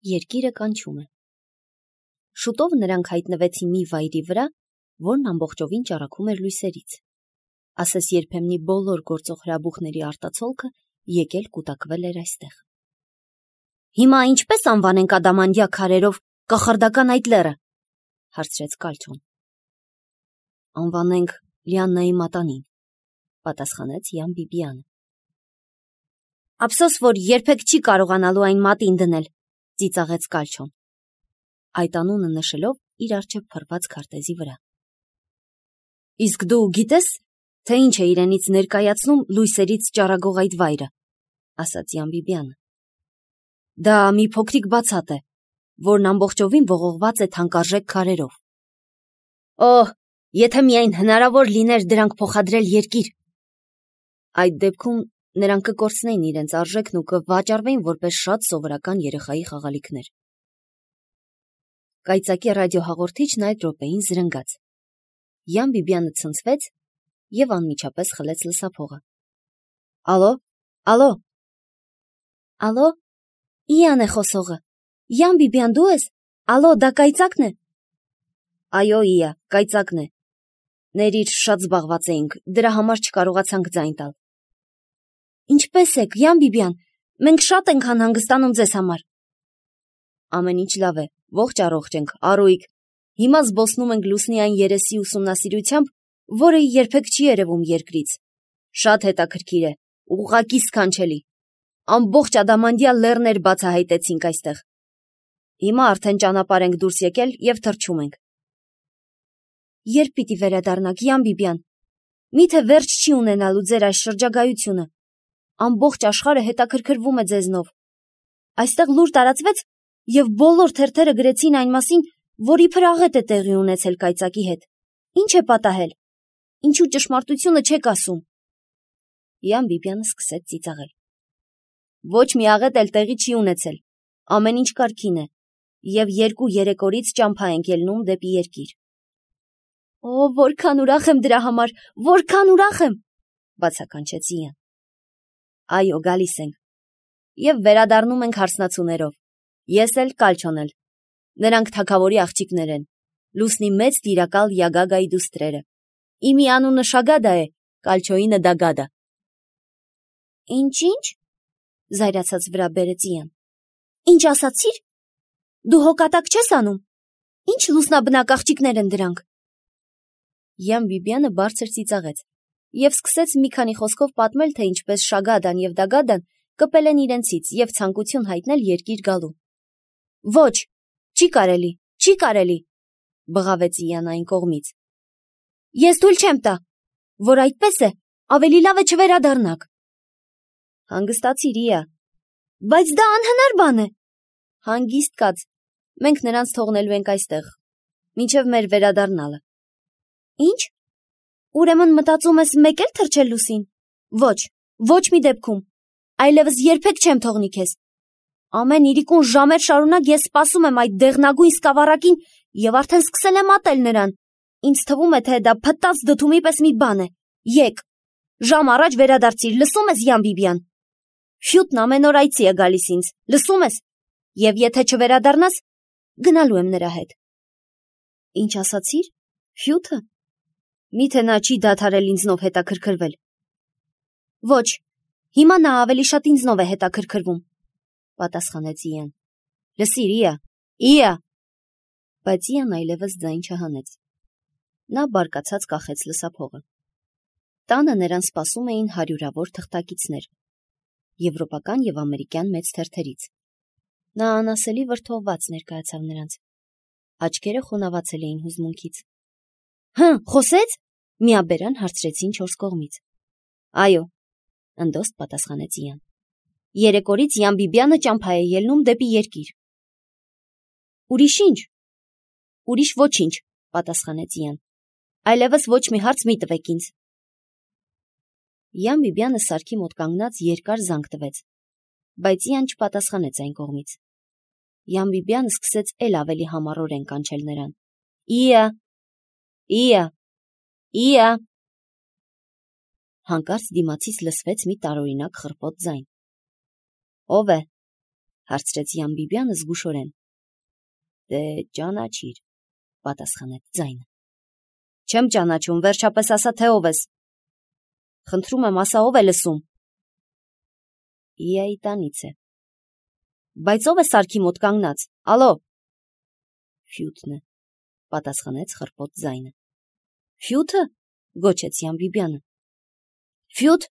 Երկիրը կանչում է։ Շուտով նրանք հայտնվեցին մի վայրի վրա, որն ամբողջովին ճառագում էր լույսերից։ Ասես երբեմնի բոլոր գործող հրաբուխների արտացոլքը եկել կուտակվել էր այստեղ։ Հիմա ինչպես անվանենք ադամանդյա քարերով կախարդական այդ լեռը, հարցրեց Կալչոն։ Անվանենք Լիաննայի մատանին, պատասխանեց Յան Բիբիանը։ Ափսոս, որ երբեք չի կարողանալու այն մատին դնել, ծիծաղեց Կալչոն, այդ անունը նշելով իր առջև փռված քարտեզի վրա։ Իսկ դու գիտես, թե ինչ է իրենից ներկայացնում լույսերից ճառագող այդ վայրը, ասաց Յան Բիբիանը։ Դա մի փոքրիկ բացատ է, որն ամբողջովին ողողված է թանկարժեք քարերով։ Օհ, եթե միայն հնարավոր լիներ դրանք փոխադրել երկիր։ Այդ դեպքում նրանք կկորցնեին իրենց արժեքն ու կվաճառվեին որպես շատ սովորական երեխայի խաղալիքներ։ Կայծակի ռադիոհաղորդիչն այդ րոպեին զրնգաց։ Յան Բիբիանը ցնցվեց և անմիջապես խլեց լսափողը։ Ալո, ալո։ Ալո, Իան է խոսողը։ Յան Բիբիան դու ես։ Ալո, դա կայծակն է։ Այո, Իա, կայծակն է։ Ներիր, շատ զբաղված էինք, դրա համար չկարողացանք ձայն տալ։ Ինչպե՞ս եք, Յան Բիբիան, մենք շատ ենք անհանգստանում ձեզ համար։ Ամեն ինչ լավ է, ողջ առողջ ենք, առույգ։ Հիմա զբոսնում ենք լուսնի այն երեսի ուսումնասիրությամբ, որը երբեք չի երևում երկրից։ Շատ հետաքրքիր է, ուղղակի սքանչելի։ Ամբողջ ադամանդյա լեռներ բացահայտեցինք այստեղ։ Հիմա արդեն ճանապարհ ենք դուրս եկել և թռչում ենք։ Երբ պիտի վերադառնաք, Յան Բիբիան։ Միթե վերջ չի ունենալու ձեր այս շրջագայությունը։ Ամբողջ աշխարհը հետաքրքրվում է ձեզնով։ Այստեղ լուր տարածվեց, և բոլոր թերթերը գրեցին այն մասին, որ իբր աղետ է տեղի ունեցել կայծակի հետ։ Ինչ է պատահել։ Ինչու ճշմարտությունը չեք ասում։ Յան Բիբիանը սկսեց ծիծաղել։ Ոչ մի աղետ էլ տեղի չի ունեցել։ Ամեն ինչ կարգին է, և 2-3 օրից ճամփա ենք ելնում դեպի երկիր։ Օ, որքան ուրախ եմ դրա համար, որքան ուրախ եմ, բացականչեց Իան։ Այո, գալիս ենք։ Եվ վերադառնում ենք հարսնացուներով։ Ես էլ, Կալչոն էլ։ Նրանք թագավորի աղջիկներ են, լուսնի մեծ տիրակալ Յագագայի դուստրերը։ Իմի անունը Շագադա է, Կալչոյինը Դագադա։ Ինչ, զայրացած վրա բերեց Իան։ Ինչ ասացիր։ Դու հոգատակ չես անում։ Ինչ լուսնաբնակ աղջիկներ են դրանք։ Յան Բիբիանը բարձր ծիծաղեց և սկսեց մի քանի խոսքով պատմել, թե ինչպես Շագադան և Դագադան կպել են իրենցից և ցանկություն հայտնել երկիր գալու։ Ոչ, չի կարելի, բղավեց Իան այն կողմից։ Ես թույլ չեմ տա, որ այդպես է, ավելի լավ է չվերադառնաք։ Հանգստացիր, Իա։ Բայց դա անհնար բան է։ Հանգիստ կաց, մենք նրանց թողնելու ենք այստեղ, մինչև մեր վերադառնալը։ Ինչ։ Ուրեմն մտածում ես մեկ էլ թռչել լուսին։ Ոչ, ոչ մի դեպքում։ Այլևս երբեք չեմ թողնի քեզ։ Ամեն իրիկուն ժամեր շարունակ ես սպասում եմ այդ դեղնագույն սկավառակին և արդեն սկսել եմ ատել նրան։ Ինձ թվում է, թե դա փտած դդումի պես մի բան է։ Եկ։ Ժամ առաջ վերադարձիր, լսում ես, Յան Բիբիան։ Ֆյուտն ամեն օր այցի է գալիս ինձ, լսում ես։ Եվ եթե չվերադառնաս, գնալու եմ նրա հետ։ Ինչ ասացիր։ Ֆյուտը։ Միթե նա չի դադարել ինձնով հետաքրքրվել։ Ոչ, հիմա նա ավելի շատ ինձնով է հետաքրքրվում, պատասխանեց Իան։ Լսիր, Իա։ Բայց Իան այլևս ձայն չհանեց։ Նա բարկացած կախեց լսափողը։ Տանը նրան սպասում էին հարյուրավոր թղթակիցներ, եվրոպական և ամերիկյան մեծ թերթերից։ Նա անասելի վրդովված ներկայացավ նրանց։ Աչքերը խոնավացել էին հուզմունքից։ Խոսեց։ Միաբերան հարցրեցին 4 կողմից։ Այո, ընդոստ պատասխանեց Իան։ 3 օրից Յան Բիբիանը ճամփա է ելնում դեպի երկիր։ Ուրիշ ինչ։ Ուրիշ ոչինչ, պատասխանեց Իան։ Այլևս ոչ մի հարց մի տվեք ինձ։ Յան Բիբիանը սարքի մոտ կանգնած երկար զանգ տվեց, բայց Իան չպատասխանեց այն կողմից։ Յան Բիբիանը սկսեց էլ ավելի համառորեն կանչել նրան։ Իա։ Հանկարծ դիմացից լսվեց մի տարօրինակ խռպոտ ձայն։ Ո՞վ է։ հարցրեց Յամբիբյանը զգուշորեն։ Դե ճանաչիր, պատասխանեց ձայնը։ Չեմ ճանաչում, վերջապես ասա, թե ով ես։ Խնդրում եմ, ասա, ով է լսում։ Իայի տանից է։ Բայց ով է սարքի մոտ կանգնած։ Ալո։ Ֆյութն է, պատասխանեց խռպոտ ձայնը։ Ֆյութը, գոչեց Յամբիբյանը։ Ֆյութ։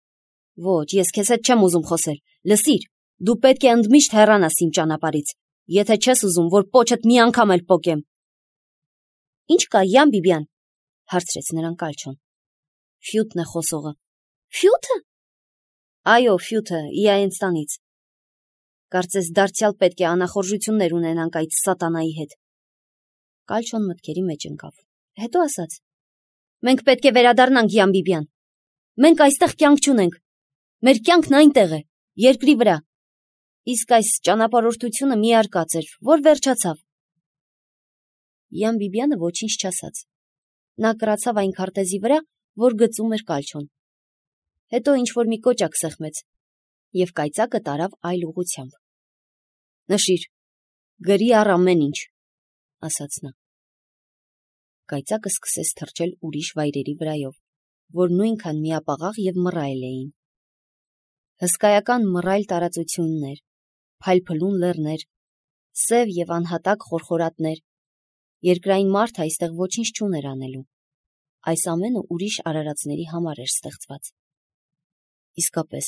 Ոչ, ես քեզ հետ չեմ ուզում խոսել։ Լսիր, դու պետք է ընդմիշտ հեռանաս իմ ճանապարհից, եթե չես ուզում, որ պոչդ մի անգամ էլ պոկեմ։ Ինչ կա, Յամբիբյան, հարցրեց նրան Կալչոն։ Ֆյութն է խոսողը։ Ֆյութը։ Այո, Ֆյութը, Իայենստանից։ Կարծես դարձյալ պետք է անախորժություններ ունենանք այդ սատանայի հետ։ Կալչոն մտքերի մեջ ընկավ։ Հետո ասաց. Մենք պետք է վերադառնանք, Յամբիբյան։ Մենք այստեղ կյանք չունենք։ Մեր կյանքն այնտեղ է, երկրի վրա։ Իսկ այս ճանապարհորդությունը մի արկած էր, որ վերջացավ։ Յամբիբյանը ոչինչ չասաց։ Նա կրացավ այն քարտեզի վրա, որ գծում էր Կալչոն։ Հետո ինչ-որ մի կոճակ սեղմեց և կայծակը տարավ այլ ուղղությամբ։ Նշիր, գրի առ ամեն ինչ, ասաց նա։ Կայծակը սկսեց թռչել ուրիշ վայրերի վրայով, որ նույնքան միապաղաղ և մռայլ էին։ Հսկայական մռայլ տարածություններ, փայլփլուն լեռներ, սև և անհատակ խորխորատներ, երկրային մարդը այստեղ ոչինչ չուներ անելու։ Այս ամենը ուրիշ արարածների համար էր ստեղծված։ Իսկապես,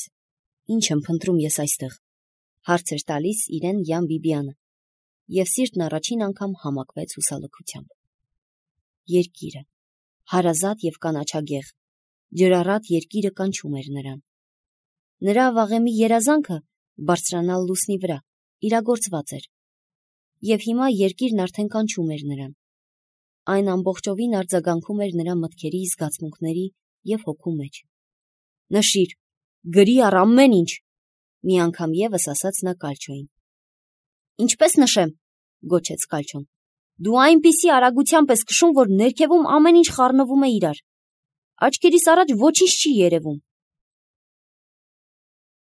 ինչ եմ փնտրում ես այստեղ, հարց էր տալիս իրեն Յամբիբյանը, և սիրտն առաջին անգամ համակվեց հուսալքությամբ։ Երկիրը, հարազատ և կանաչագեղ, ջրառատ երկիրը կանչում էր նրան։ Նրա վաղեմի երազանքը բարձրանալ լուսնի վրա իրագործված էր, և հիմա երկիրն արդեն կանչում էր նրան։ Այն ամբողջովին արձագանքում էր նրա մտքերի, զգացմունքների և հոգու մեջ։ Նշիր, գրի առ ամեն ինչ, մի անգամ ևս ասաց նա Կալչոյին։ Ինչպես նշեմ, գոչեց Կալչոն, դու այնպիսի արագությամբ ես քշում, որ ներքևում ամեն ինչ խառնվում է իրար։ Աչքերիս առաջ ոչինչ չի երևում։